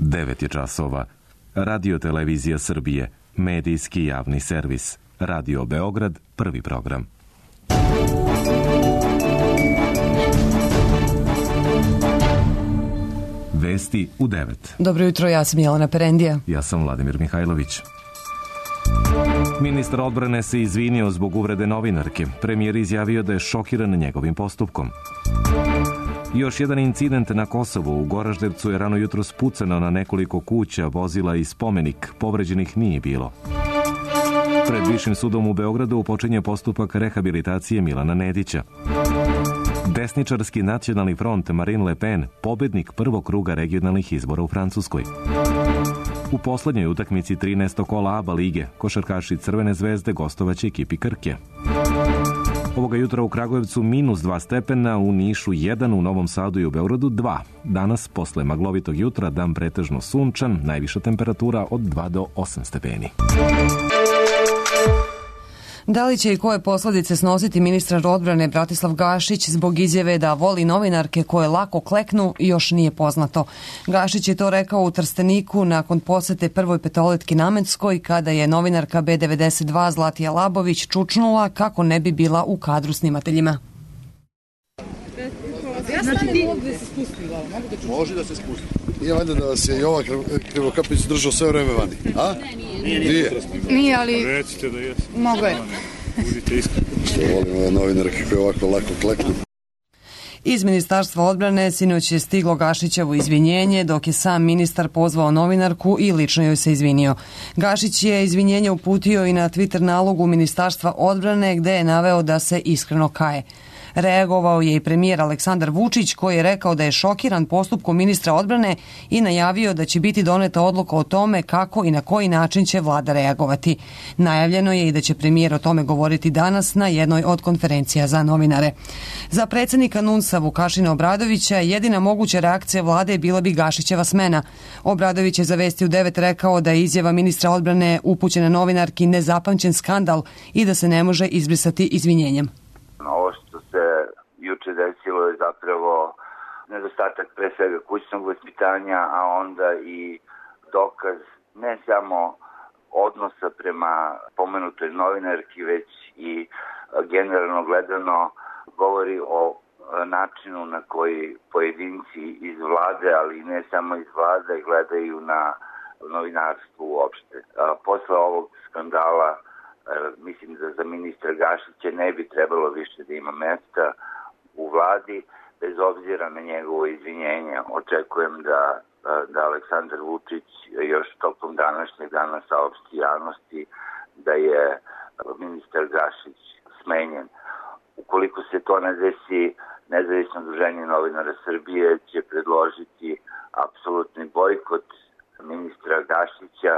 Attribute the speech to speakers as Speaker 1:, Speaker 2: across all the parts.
Speaker 1: 9 je časova. Radio Televizija Srbije, medijski javni servis. Radio Beograd, prvi program. Vesti u 9.
Speaker 2: Dobro jutro, ja sam Jelena Perendija.
Speaker 1: Ja sam Vladimir Mihajlović. Ministar odbrane se izvinio zbog uvrede novinarke. Premijer izjavio da je šokiran njegovim postupkom. Još jedan incident na Kosovu. U Goraždevcu je rano jutros pucano na nekoliko kuća, vozila i spomenik. Povređenih nije bilo. Pred Višim sudom u Beogradu počinje postupak rehabilitacije Milana Nedića. Desničarski nacionalni front Marine Le Pen, pobednik prvog kruga regionalnih izbora u Francuskoj. U poslednjoj utakmici 13. kola ABA lige, košarkaši Crvene zvezde gostovaće ekipi Krke. Ovoga jutra u Kragujevcu -2 stepena, u Nišu 1, u Novom Sadu i u Beogradu 2. Danas, posle maglovitog jutra, dan pretežno sunčan, najviša temperatura od 2 do 8 stepeni.
Speaker 2: Da li će i koje posledice snositi ministar odbrane Bratislav Gašić zbog izjave da voli novinarke koje lako kleknu, još nije poznato. Gašić je to rekao u Trsteniku nakon posete prvoj petoletki Namenskoj, kada je novinarka B92 Zlatija Labović čučnula kako ne bi bila u kadru snimateljima.
Speaker 3: Znači ti ovdje se spusti, može da se spusti. Nije valjda da vas je i ova Krivokapić držao sve vreme vani, a?
Speaker 4: Nije, ali...
Speaker 3: Recite da jesi.
Speaker 4: Mogu je.
Speaker 3: Budite iskreni. Što volim ove novinarke koje ovako lako kleknu.
Speaker 2: Iz Ministarstva odbrane sinoć je stiglo Gašićevo izvinjenje, dok je sam ministar pozvao novinarku i lično joj se izvinio. Gašić je izvinjenje uputio i na Twitter nalogu Ministarstva odbrane, gde je naveo da se iskreno kaje. Reagovao je i premijer Aleksandar Vučić, koji je rekao da je šokiran postupkom ministra odbrane i najavio da će biti doneta odluka o tome kako i na koji način će vlada reagovati. Najavljeno je i da će premijer o tome govoriti danas na jednoj od konferencija za novinare. Za predsjednika NUNS-a Vukašina Obradovića jedina moguća reakcija vlade bila bi Gašićeva smena. Obradović je za Vesti u 9 rekao da je izjava ministra odbrane upućena novinarki nezapamćen skandal i da se ne može izbrisati izvinjenjem.
Speaker 5: Ovo što se juče desilo je zapravo nedostatak pre svega kućnog vaspitanja, a onda i dokaz ne samo odnosa prema pomenutoj novinarki, već i generalno gledano govori o načinu na koji pojedinci iz vlade, ali ne samo iz vlade, gledaju na novinarstvo uopšte. Posle ovog skandala mislim da za ministra Gašića ne bi trebalo više da ima mesta u vladi, bez obzira na njegovo izvinjenje. Očekujem da Aleksandar Vučić još tokom današnjeg dana saopšti javnosti da je ministar Gašić smenjen. Ukoliko se to ne desi, Nezavisno udruženje novinara Srbije će predložiti apsolutni bojkot ministra Gašića,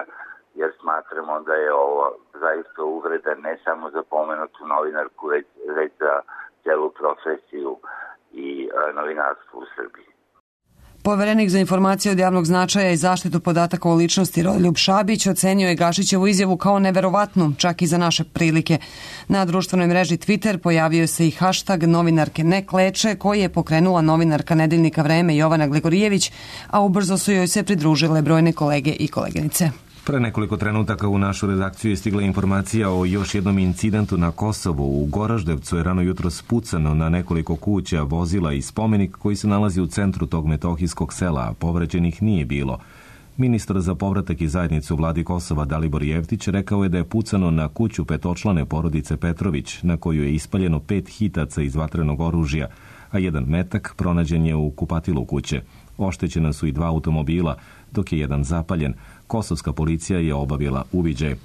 Speaker 5: jer smatramo da je ovo zaista uvreda ne samo za pomenutu novinarku, već za celu profesiju i novinarstvo u Srbiji.
Speaker 2: Poverenik za informacije od javnog značaja i zaštitu podataka o ličnosti Rodoljub Šabić ocenio je Gašićevu izjavu kao neverovatnu, čak i za naše prilike. Na društvenoj mreži Twitter pojavio se i hashtag novinarke ne kleče, koji je pokrenula novinarka Nedeljnika Vreme Jovana Gligorijević, a ubrzo su joj se pridružile brojne kolege i koleginice.
Speaker 1: Pre nekoliko trenutaka u našu redakciju je stigla informacija o još jednom incidentu na Kosovu. U Goraždevcu je rano jutros pucano na nekoliko kuća, vozila i spomenik koji se nalazi u centru tog metohijskog sela, a povređenih nije bilo. Ministar za povratak i zajednicu vladi Kosova Dalibor Jevtić rekao je da je pucano na kuću petočlane porodice Petrović, na koju je ispaljeno 5 hitaca iz vatrenog oružja, a jedan metak pronađen je u kupatilu kuće. Oštećena su i 2 automobila, dok je jedan zapaljen. Kosovska policija je obavila uviđaj.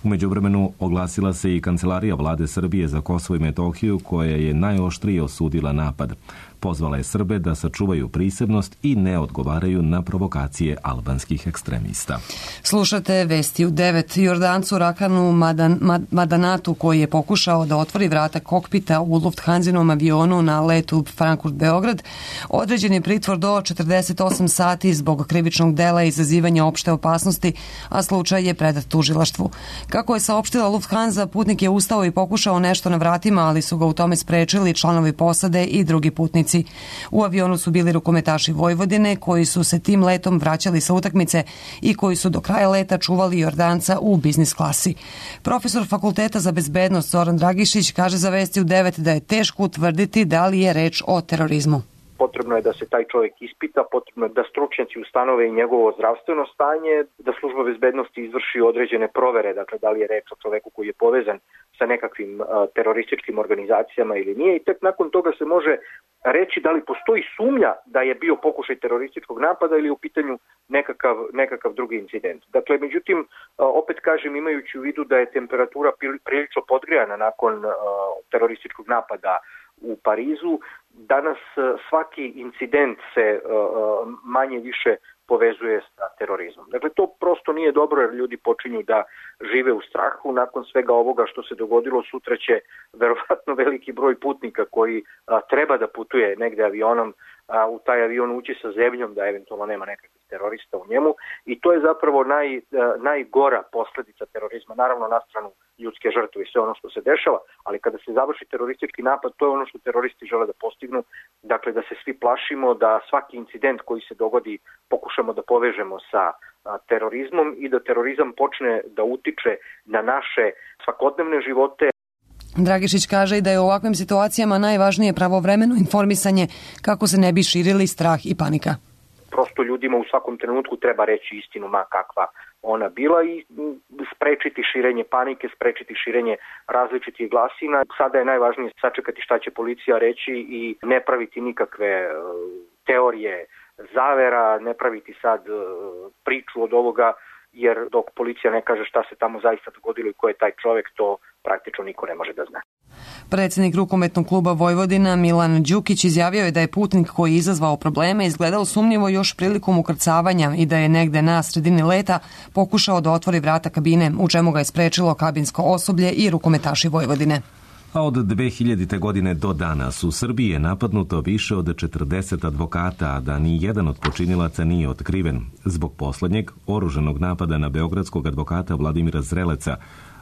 Speaker 1: U međuvremenu oglasila se i Kancelarija vlade Srbije za Kosovo i Metohiju, koja je najoštrije osudila napad. Pozvala je Srbe da sačuvaju prisebnost i ne odgovaraju na provokacije albanskih ekstremista. Slušate Vesti u 9. Jordancu Rakanu Madanatu, koji je pokušao da otvori vrata kokpita u Lufthansinom avionu na letu Frankfurt-Beograd, određen je pritvor do 48 sati zbog krivičnog dela izazivanja opšte opasnosti, a slučaj je predat tužilaštvu. Kako je saopštila Lufthansa, putnik je ustao i pokušao nešto na vratima, ali su ga u tome sprečili članovi posade i drugi putnici.
Speaker 2: putnici. U avionu su bili rukometaši Vojvodine koji su se tim letom vraćali sa utakmice i koji su do kraja leta čuvali Jordanca u biznis klasi. Profesor Fakulteta za bezbednost Zoran Dragišić kaže za Vesti u 9 da je teško utvrditi da li je reč o terorizmu.
Speaker 6: Potrebno je da se taj čovjek ispita, potrebno je da stručnjaci ustanove i njegovo zdravstveno stanje, da služba bezbednosti izvrši određene provere, dakle da li je reč o čoveku koji je povezan sa nekakvim terorističkim organizacijama ili nije i tek nakon toga se može reći da li postoji sumnja da je bio pokušaj terorističkog napada ili u pitanju nekakav drugi incident. Dakle, međutim, opet kažem, imajući u vidu da je temperatura prilično podgrejana nakon terorističkog napada u Parizu, danas svaki incident se manje više povezuje sa terorizmom. Dakle, to prosto nije dobro jer ljudi počinju da žive u strahu. Nakon svega ovoga što se dogodilo, sutra će verovatno veliki broj putnika koji treba da putuje negde avionom, u taj avion ući sa zebnjom da eventualno nema nekakvih terorista u njemu i to je zapravo najgora posledica terorizma. Naravno, na stranu ljudske žrtve i sve ono što se dešava, ali kada se završi teroristički napad, to je ono što teroristi žele da postignu, dakle da se svi plašimo, da svaki incident koji se dogodi pokušamo da povežemo sa terorizmom i da terorizam počne da utiče na naše svakodnevne živote.
Speaker 2: Dragišić kaže i da je u ovakvim situacijama najvažnije pravovremeno informisanje kako se ne bi širili strah i panika.
Speaker 6: Prosto ljudima u svakom trenutku treba reći istinu ma kakva ona bila i sprečiti širenje panike, sprečiti širenje različitih glasina. Sada je najvažnije sačekati šta će policija reći i ne praviti nikakve teorije zavera, ne praviti sad priču od ovoga, jer dok policija ne kaže šta se tamo zaista dogodilo i ko je taj čovjek, to praktično niko ne može da zna.
Speaker 2: Predsjednik rukometnog kluba Vojvodina Milan Đukić izjavio je da je putnik koji je izazvao probleme izgledao sumnjivo još prilikom ukrcavanja i da je negde na sredini leta pokušao da otvori vrata kabine, u čemu ga je sprečilo kabinsko osoblje i rukometaši Vojvodine.
Speaker 1: A od 2000. godine do danas u Srbiji je napadnuto više od 40 advokata, a da ni jedan od počinilaca nije otkriven. Zbog poslednjeg oružanog napada na beogradskog advokata Vladimira Zreleca,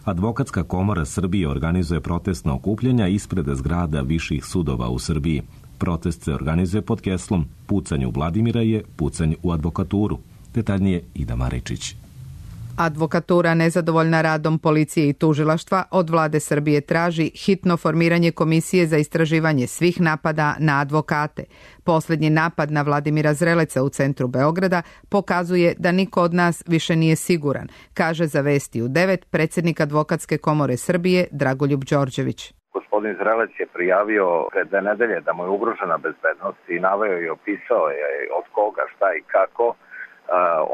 Speaker 1: Advokatska komora Srbije organizuje protestna okupljanja ispred zgrada viših sudova u Srbiji. Protest se organizuje pod geslom "Pucanje u Vladimira je pucanje u advokaturu". Detaljnije Ida Maričić.
Speaker 7: Advokatura nezadovoljna radom policije i tužilaštva od vlade Srbije traži hitno formiranje komisije za istraživanje svih napada na advokate. Posljednji napad na Vladimira Zreleca u centru Beograda pokazuje da niko od nas više nije siguran, kaže za Vesti u 9 predsjednik Advokatske komore Srbije Dragoljub Đorđević.
Speaker 8: Gospodin Zrelec je prijavio pred 2 nedelje da mu je ugrožena bezbednost i naveo i opisao je od koga, šta i kako.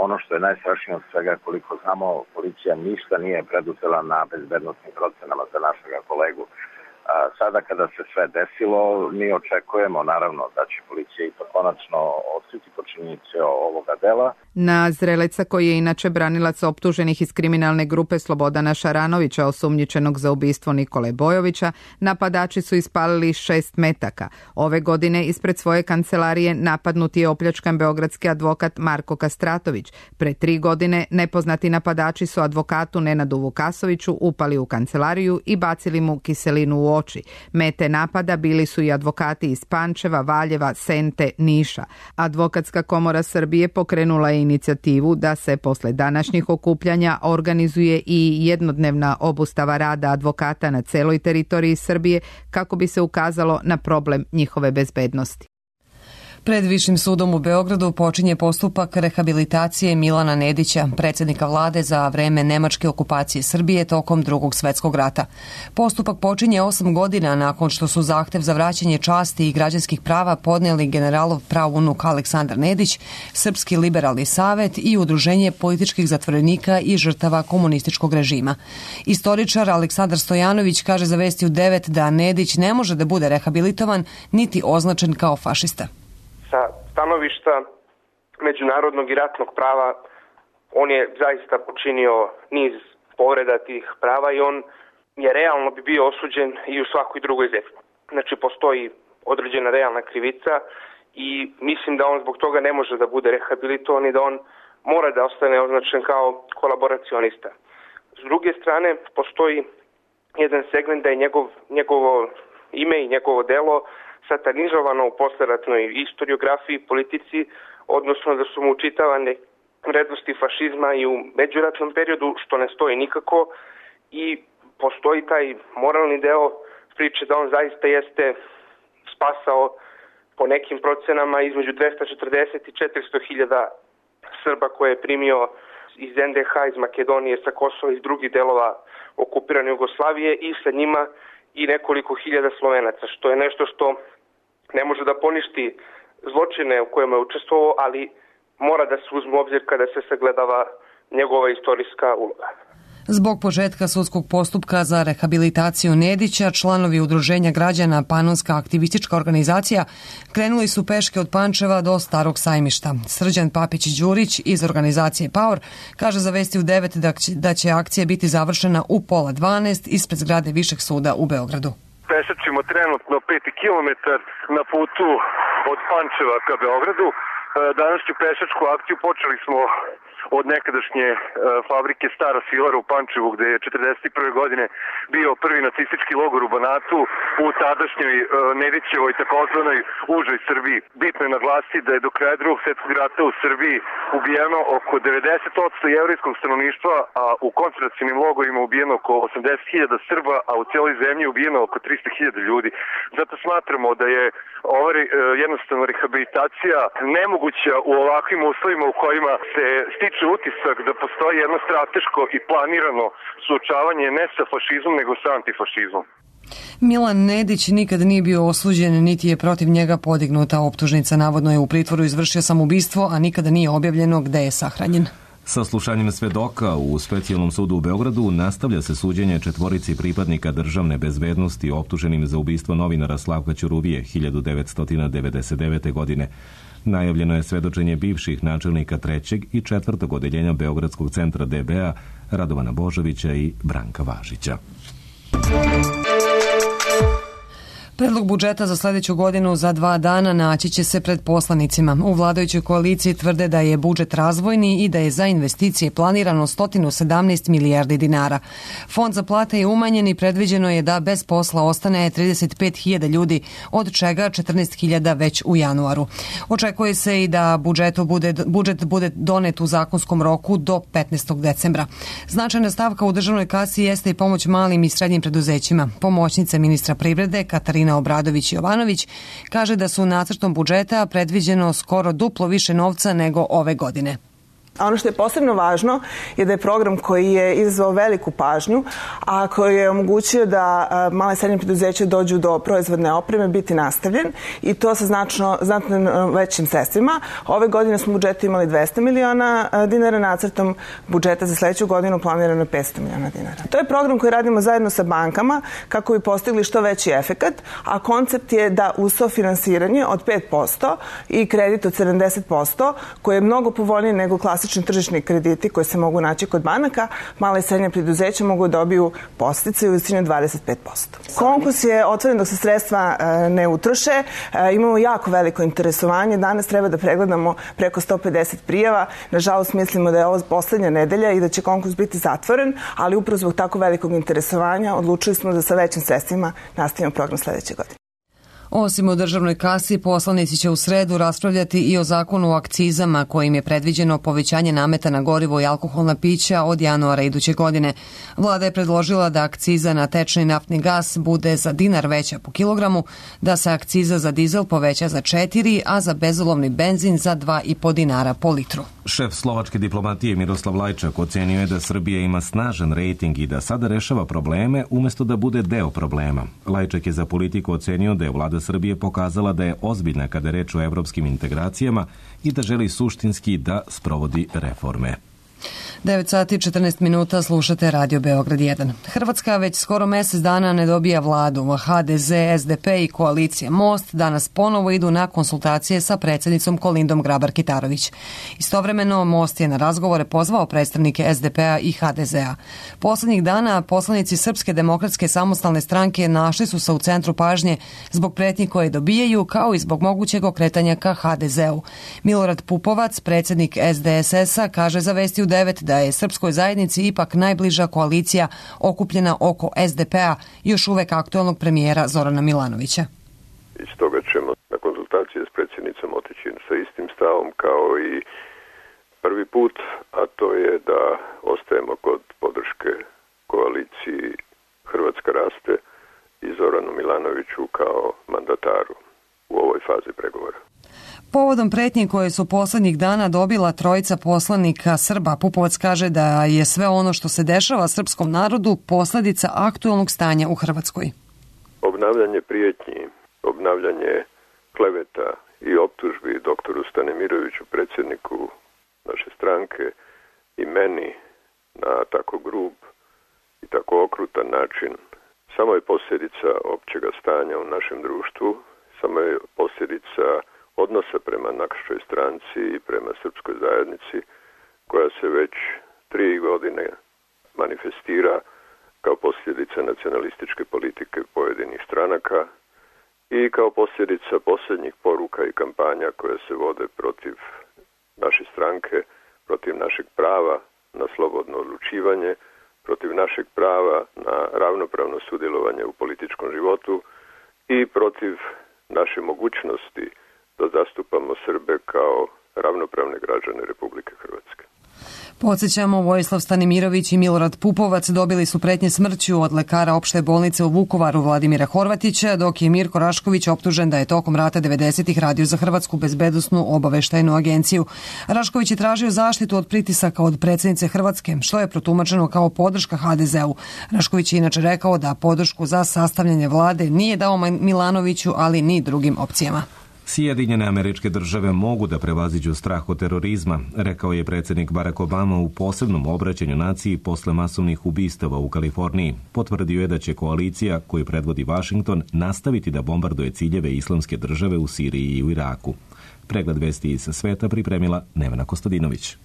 Speaker 8: Ono što je najstrašnije od svega, koliko znamo, policija ništa nije preduzela na bezbednostnim procenama za našega kolegu. Sada kada se sve desilo, mi očekujemo naravno da će policija ipak konačno otkriti počinioce ovoga dela.
Speaker 7: Na Zreleca, koji je inače branilac optuženih iz kriminalne grupe Slobodana Šaranovića, osumnjičenog za ubistvo Nikole Bojovića, napadači su ispalili 6 metaka. Ove godine ispred svoje kancelarije napadnut je opljačkan beogradski advokat Marko Kastratović. Pre 3 godine nepoznati napadači su advokatu Nenadu Vukasoviću upali u kancelariju i bacili mu kiselinu u oči. Mete napada bili su i advokati iz Pančeva, Valjeva, Sente, Niša. Advokatska komora Srbije pokrenula je inicijativu da se posle današnjih okupljanja organizuje i jednodnevna obustava rada advokata na celoj teritoriji Srbije kako bi se ukazalo na problem njihove bezbednosti.
Speaker 2: Pred Višim sudom u Beogradu počinje postupak rehabilitacije Milana Nedića, predsjednika vlade za vreme nemačke okupacije Srbije tokom Drugog svjetskog rata. Postupak počinje 8 godina nakon što su zahtev za vraćanje časti i građanskih prava podnijeli generalov praunuk Aleksandar Nedić, Srpski liberalni savet i Udruženje političkih zatvorenika i žrtava komunističkog režima. Istoričar Aleksandar Stojanović kaže za Vesti u 9 da Nedić ne može da bude rehabilitovan niti označen kao fašista.
Speaker 6: Sa stanovišta međunarodnog i ratnog prava on je zaista počinio niz povreda tih prava i on je realno bi bio osuđen i u svakoj drugoj zemlji. Znači postoji određena realna krivica i mislim da on zbog toga ne može da bude rehabilitovan i da on mora da ostane označen kao kolaboracionista. S druge strane postoji jedan segment da je njegovo ime i njegovo delo
Speaker 9: satanizovano u posleratnoj istoriografiji, politici, odnosno da su mu učitavane vrednosti fašizma i u međuratnom periodu, što ne stoji nikako, i postoji taj moralni deo priče da on zaista jeste spasao po nekim procenama između 240 i 400 hiljada Srba koje je primio iz NDH, iz Makedonije, sa Kosova, iz drugih delova okupirane Jugoslavije i sa njima i nekoliko hiljada Slovenaca, što je nešto što ne može da poništi zločine u kojima je učestvovao, ali mora da se uzme u obzir kada se sagledava njegova istorijska uloga.
Speaker 2: Zbog početka sudskog postupka za rehabilitaciju Nedića, članovi udruženja građana Panonska aktivistička organizacija krenuli su peške od Pančeva do Starog sajmišta. Srđan Papić-Đurić iz organizacije Power kaže za Vesti u 9 da će akcija biti završena u 11:30 ispred zgrade Višeg suda u Beogradu.
Speaker 10: Pešačimo trenutno 5 km na putu od Pančeva ka Beogradu. Današnju pešačku akciju počeli smo od nekadašnje fabrike Stara Svilara u Pančevu, gde je 1941. godine bio prvi nacistički logor u Banatu, u tadašnjoj Nedićevoj takozvanoj užoj Srbiji. Bitno je naglasiti da je do kraja Drugog svjetskog rata u Srbiji ubijeno oko 90% jevrijskog stanovništva, a u koncentracionim logorima ubijeno oko 80.000 Srba, a u cijeloj zemlji ubijeno oko 300.000 ljudi. Zato smatramo da je ova jednostavno rehabilitacija nemoguća u ovakvim uslovima u kojima se stiče utisak da postoji jedno strateško i planirano suočavanje ne sa fašizmom nego sa antifašizmom.
Speaker 2: Milan Nedić nikad nije bio osuđen, niti je protiv njega podignuta optužnica. Navodno je u pritvoru izvršio samoubistvo, a nikada nije objavljeno gde je sahranjen.
Speaker 1: Sa slušanjem svedoka u Specijalnom sudu u Beogradu nastavlja se suđenje 4 pripadnika državne bezbednosti optuženim za ubistvo novinara Slavka Ćuruvije 1999. godine. Najavljeno je svedočenje bivših načelnika 3. i 4. odeljenja Beogradskog centra DB-a Radovana Božovića i Branka Važića.
Speaker 2: Predlog budžeta za sledeću godinu za 2 dana naći će se pred poslanicima. U vladajućoj koaliciji tvrde da je budžet razvojni i da je za investicije planirano 117 milijardi dinara. Fond za plate je umanjen i predviđeno je da bez posla ostane 35.000 ljudi, od čega 14.000 već u januaru. Očekuje se i da budžet bude donet u zakonskom roku do 15. decembra. Značajna stavka u državnoj kasi jeste i pomoć malim i srednjim preduzećima. Pomoćnica ministra privrede Katarina Obradović-Jovanović kaže da su nacrtom budžeta predviđeno skoro duplo više novca nego ove godine.
Speaker 11: Ono što je posebno važno je da je program koji je izazvao veliku pažnju, a koji je omogućio da male i srednje preduzeće dođu do proizvodne opreme biti nastavljen i to sa znatno većim sredstvima. Ove godine smo u budžetu imali 200 miliona dinara, nacrtom budžeta za sledeću godinu planirano 500 miliona dinara. To je program koji radimo zajedno sa bankama kako bi postigli što veći efekat, a koncept je da uz sofinansiranje od 5% i kredit od 70%, koji je mnogo povoljniji nego klasični tržišni krediti koji se mogu naći kod banaka, mala i srednja preduzeća mogu dobiju podsticaje u visini 25%. Konkurs je otvoren dok se sredstva ne utroše. Imamo jako veliko interesovanje. Danas treba da pregledamo preko 150 prijava. Nažalost, mislimo da je ovo poslednja nedelja i da će konkurs biti zatvoren, ali upravo zbog tako velikog interesovanja odlučili smo da sa većim sredstvima nastavimo program sledeće godine.
Speaker 2: Osim u državnoj kasi, poslanici će u sredu raspravljati i o zakonu o akcizama kojim je predviđeno povećanje nameta na gorivo i alkoholna pića od januara iduće godine. Vlada je predložila da akciza na tečni naftni gas bude za dinar veća po kilogramu, da se akciza za dizel poveća za 4, a za bezolovni benzin za 2,5 dinara po litru.
Speaker 1: Šef slovačke diplomatije Miroslav Lajčak ocenio je da Srbija ima snažan rejting i da sada rešava probleme umesto da bude deo problema. Lajčak je za Politiku ocenio da je vlada Srbije pokazala da je ozbiljna kada je reč o evropskim integracijama i da želi suštinski da sprovodi reforme.
Speaker 2: 9 sati 14 minuta, slušate Radio Beograd 1. Hrvatska već skoro mesec dana ne dobija vladu. HDZ, SDP i koalicija Most danas ponovo idu na konsultacije sa predsjednicom Kolindom Grabar-Kitarović. Istovremeno, Most je na razgovore pozvao predstavnike SDP-a i HDZ-a. Poslednjih dana poslanici Srpske demokratske samostalne stranke našli su se u centru pažnje zbog pretnji koje dobijaju, kao i zbog mogućeg okretanja ka HDZ-u. Milorad Pupovac, predsjednik SDSS-a, kaže za Vesti u 9 da je srpskoj zajednici ipak najbliža koalicija okupljena oko SDP-a, još uvek aktuelnog premijera Zorana Milanovića.
Speaker 12: i stoga ćemo na konzultacije s predsjednicom otići sa istim stavom kao i prvi put, a to je da ostajemo kod podrške koaliciji Hrvatska raste i Zoranu Milanoviću kao mandataru u ovoj fazi pregovora.
Speaker 2: Povodom pretnji koje su poslednjih dana dobila trojica poslanika Srba, Pupovac kaže da je sve ono što se dešava srpskom narodu posledica aktuelnog stanja u Hrvatskoj.
Speaker 12: Obnavljanje prijetnji, obnavljanje kleveta i optužbi doktoru Stanimiroviću, predsjedniku naše stranke, i meni na tako grub i tako okrutan način samo je posljedica općega stanja u našem društvu, samo je posljedica odnosa prema našoj stranci i prema srpskoj zajednici koja se već 3 godine manifestira kao posljedica nacionalističke politike pojedinih stranaka i kao posljedica posljednjih poruka i kampanja koje se vode protiv naše stranke, protiv našeg prava na slobodno odlučivanje, protiv našeg prava na ravnopravno sudjelovanje u političkom životu i protiv naše mogućnosti da zastupamo Srbe kao ravnopravne građane Republike Hrvatske.
Speaker 2: Podsjećamo, Vojislav Stanimirović i Milorad Pupovac dobili su pretnje smrću od lekara opšte bolnice u Vukovaru Vladimira Horvatića, dok je Mirko Rašković optužen da je tokom rata 90-ih radio za Hrvatsku bezbednosnu obaveštajnu agenciju. Rašković je tražio zaštitu od pritisaka od predsjednice Hrvatske, što je protumačeno kao podrška HDZ-u. Rašković je inače rekao da podršku za sastavljanje vlade nije dao Milanoviću, ali ni drugim opcijama.
Speaker 1: Sjedinjene Američke Države mogu da prevaziđu strah od terorizma, rekao je predsjednik Barack Obama u posebnom obraćanju naciji posle masovnih ubistava u Kaliforniji. Potvrdio je da će koalicija koju predvodi Washington nastaviti da bombarduje ciljeve Islamske države u Siriji i u Iraku. Pregled vesti iz sveta pripremila Nevena Kostadinović.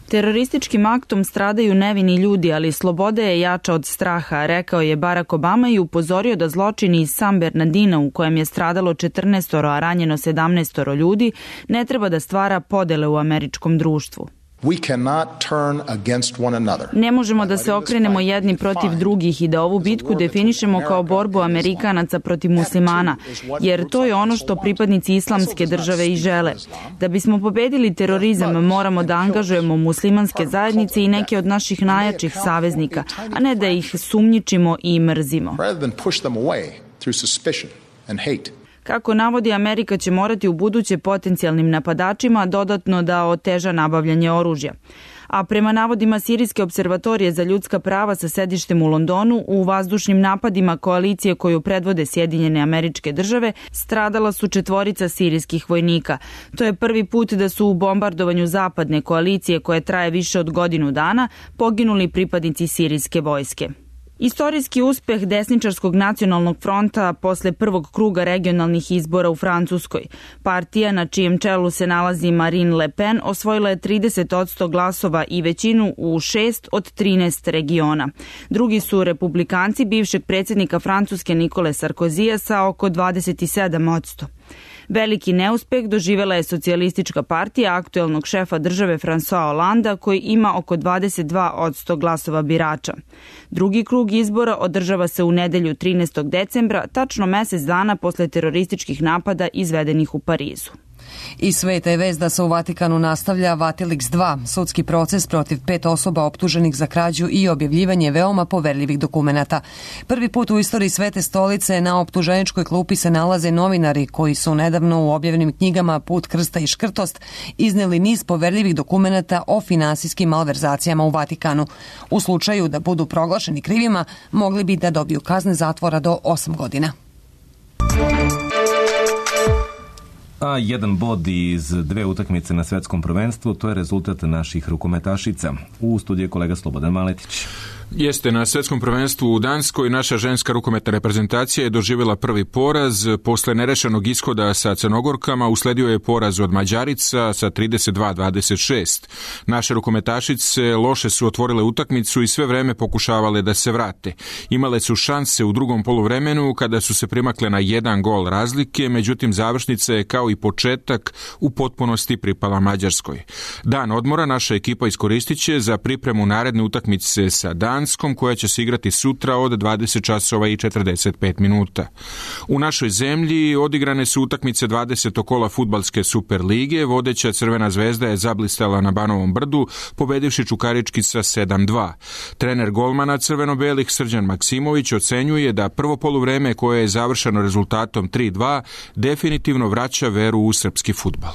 Speaker 13: Terorističkim aktom stradaju nevini ljudi, ali sloboda je jača od straha, rekao je Barack Obama i upozorio da zločini iz San Bernardina, u kojem je stradalo 14, a ranjeno 17 ljudi, ne treba da stvara podele u američkom društvu. Ne možemo da se okrenemo jedni protiv drugih i da ovu bitku definišemo kao borbu Amerikanaca protiv muslimana, jer to je ono što pripadnici Islamske države i žele. Da bismo pobedili terorizam, moramo da angažujemo muslimanske zajednice i neke od naših najjačih saveznika, a ne da ih sumnjičimo i mrzimo. Kako navodi, Amerika će morati u buduće potencijalnim napadačima dodatno da oteža nabavljanje oružja. A prema navodima Sirijske observatorije za ljudska prava sa sedištem u Londonu, u vazdušnim napadima koalicije koju predvode Sjedinjene Američke Države stradala su 4 sirijskih vojnika. To je prvi put da su u bombardovanju zapadne koalicije, koje traje više od godinu dana, poginuli pripadnici sirijske vojske. Istorijski uspeh desničarskog nacionalnog fronta posle prvog kruga regionalnih izbora u Francuskoj. Partija na čijem čelu se nalazi Marine Le Pen osvojila je 30% glasova i većinu u 6 od 13 regiona. Drugi su republikanci bivšeg predsjednika Francuske Nikole Sarkozija sa oko 27%. Veliki neuspeh doživela je socijalistička partija aktuelnog šefa države François Hollanda, koji ima oko 22% glasova birača. Drugi krug izbora održava se u nedelju 13. decembra, tačno mesec dana posle terorističkih napada izvedenih u Parizu.
Speaker 2: I sveta je vest da se u Vatikanu nastavlja Vatilix 2, sudski proces protiv 5 osoba optuženih za krađu i objavljivanje veoma poverljivih dokumenata. Prvi put u istoriji Svete stolice na optuženičkoj klupi se nalaze novinari koji su nedavno u objavljenim knjigama Put krsta i škrtost izneli niz poverljivih dokumenata o finansijskim malverzacijama u Vatikanu. U slučaju da budu proglašeni krivima, mogli bi da dobiju kazne zatvora do 8 godina.
Speaker 1: A jedan bod iz 2 utakmice na svetskom prvenstvu, to je rezultat naših rukometašica. U studiju je kolega Slobodan Maletić.
Speaker 14: Jeste, na svetskom prvenstvu u Danskoj naša ženska rukometna reprezentacija je doživjela prvi poraz. Posle nerešenog ishoda sa Crnogorkama usledio je poraz od Mađarica sa 32-26. Naše rukometašice loše su otvorile utakmicu i sve vreme pokušavale da se vrate. Imale su šanse u drugom poluvremenu kada su se primakle na 1 gol razlike, međutim završnica je kao i početak u potpunosti pripala Mađarskoj. Dan odmora naša ekipa iskoristit će za pripremu naredne utakmice sa Danskom, Danskom koja će se igrati sutra od 20 časova i 45 minuta. U našoj zemlji odigrane su utakmice 20. kola fudbalske Super lige. Vodeća Crvena zvezda je zablistala na Banovom brdu, pobedivši Čukarički sa 7-2. Trener golmana crveno-belih Srđan Maksimović ocenjuje da prvo poluvreme koje je završeno rezultatom 3-2 definitivno vraća veru u srpski fudbal.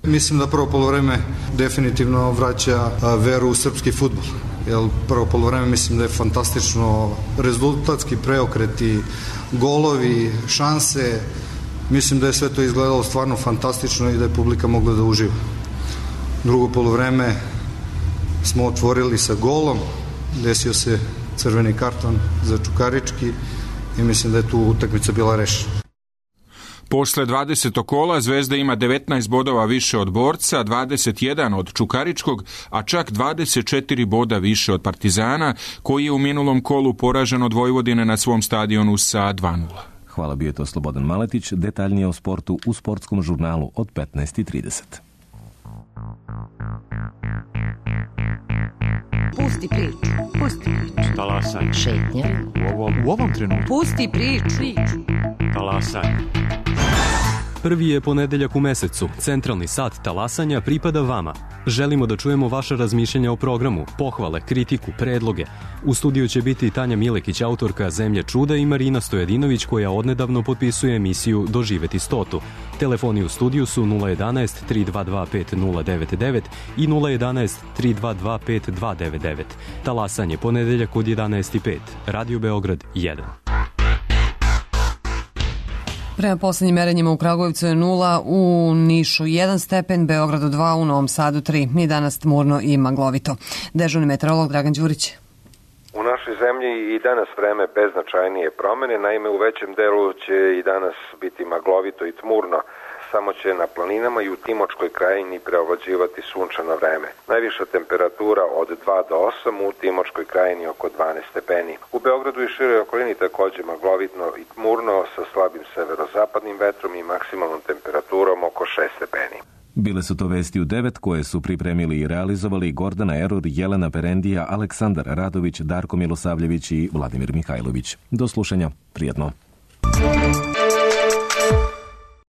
Speaker 15: Mislim da prvo poluvreme definitivno vraća veru u srpski fudbal. Jer prvo poluvreme mislim da je fantastično, rezultatski preokreti, golovi, šanse. Mislim da je sve to izgledalo stvarno fantastično i da je publika mogla da uživa. Drugo poluvreme smo otvorili sa golom, desio se crveni karton za Čukarički i mislim da je tu utakmica bila rešena.
Speaker 14: Posle 20. kola Zvezda ima 19 bodova više od Borca, 21 od Čukaričkog, a čak 24 boda više od Partizana, koji je u minulom kolu poražen od Vojvodine na svom stadionu sa 2-0.
Speaker 1: Hvala, bio je to Slobodan Maletić. Detaljnije o sportu u sportskom žurnalu od 15:30.
Speaker 16: Pusti priču. Pusti priču.
Speaker 17: Talasanje.
Speaker 16: Šetnja.
Speaker 17: U ovom trenutku.
Speaker 16: Pusti priču.
Speaker 17: Talasanje.
Speaker 18: Prvi je ponedeljak u mesecu. Centralni sat talasanja pripada vama. Želimo da čujemo vaša razmišljanja o programu, pohvale, kritiku, predloge. U studiju će biti Tanja Milekić, autorka Zemlje čuda, i Marina Stojadinović, koja odnedavno potpisuje emisiju Doživeti 100. Telefoni u studiju su 011 322 5099 i 011 322 5299. Talasanje ponedeljak od 11:05. Radio Beograd 1.
Speaker 2: Prema poslednjim merenjima u Kragujevcu je 0, u Nišu 1 stepen, Beogradu 2, u Novom Sadu 3. Ni danas tmurno i maglovito. Dežurni meteorolog Dragan Đurić.
Speaker 19: U našoj zemlji i danas vreme bez značajnije promene, naime u većem delu će i danas biti maglovito i tmurno. Samo će na planinama i u Timočkoj krajini preovlađivati sunčano vreme. Najviša temperatura od 2 do 8, u Timočkoj krajini oko 12 stepeni. U Beogradu i široj okolini takođe maglovitno i tmurno sa slabim severozapadnim vetrom i maksimalnom temperaturom oko 6 stepeni.
Speaker 1: Bile su to vesti u 9 koje su pripremili i realizovali Gordana Erur, Jelena Perendija, Aleksandar Radović, Darko Milosavljević i Vladimir Mihajlović. Do slušanja, prijetno.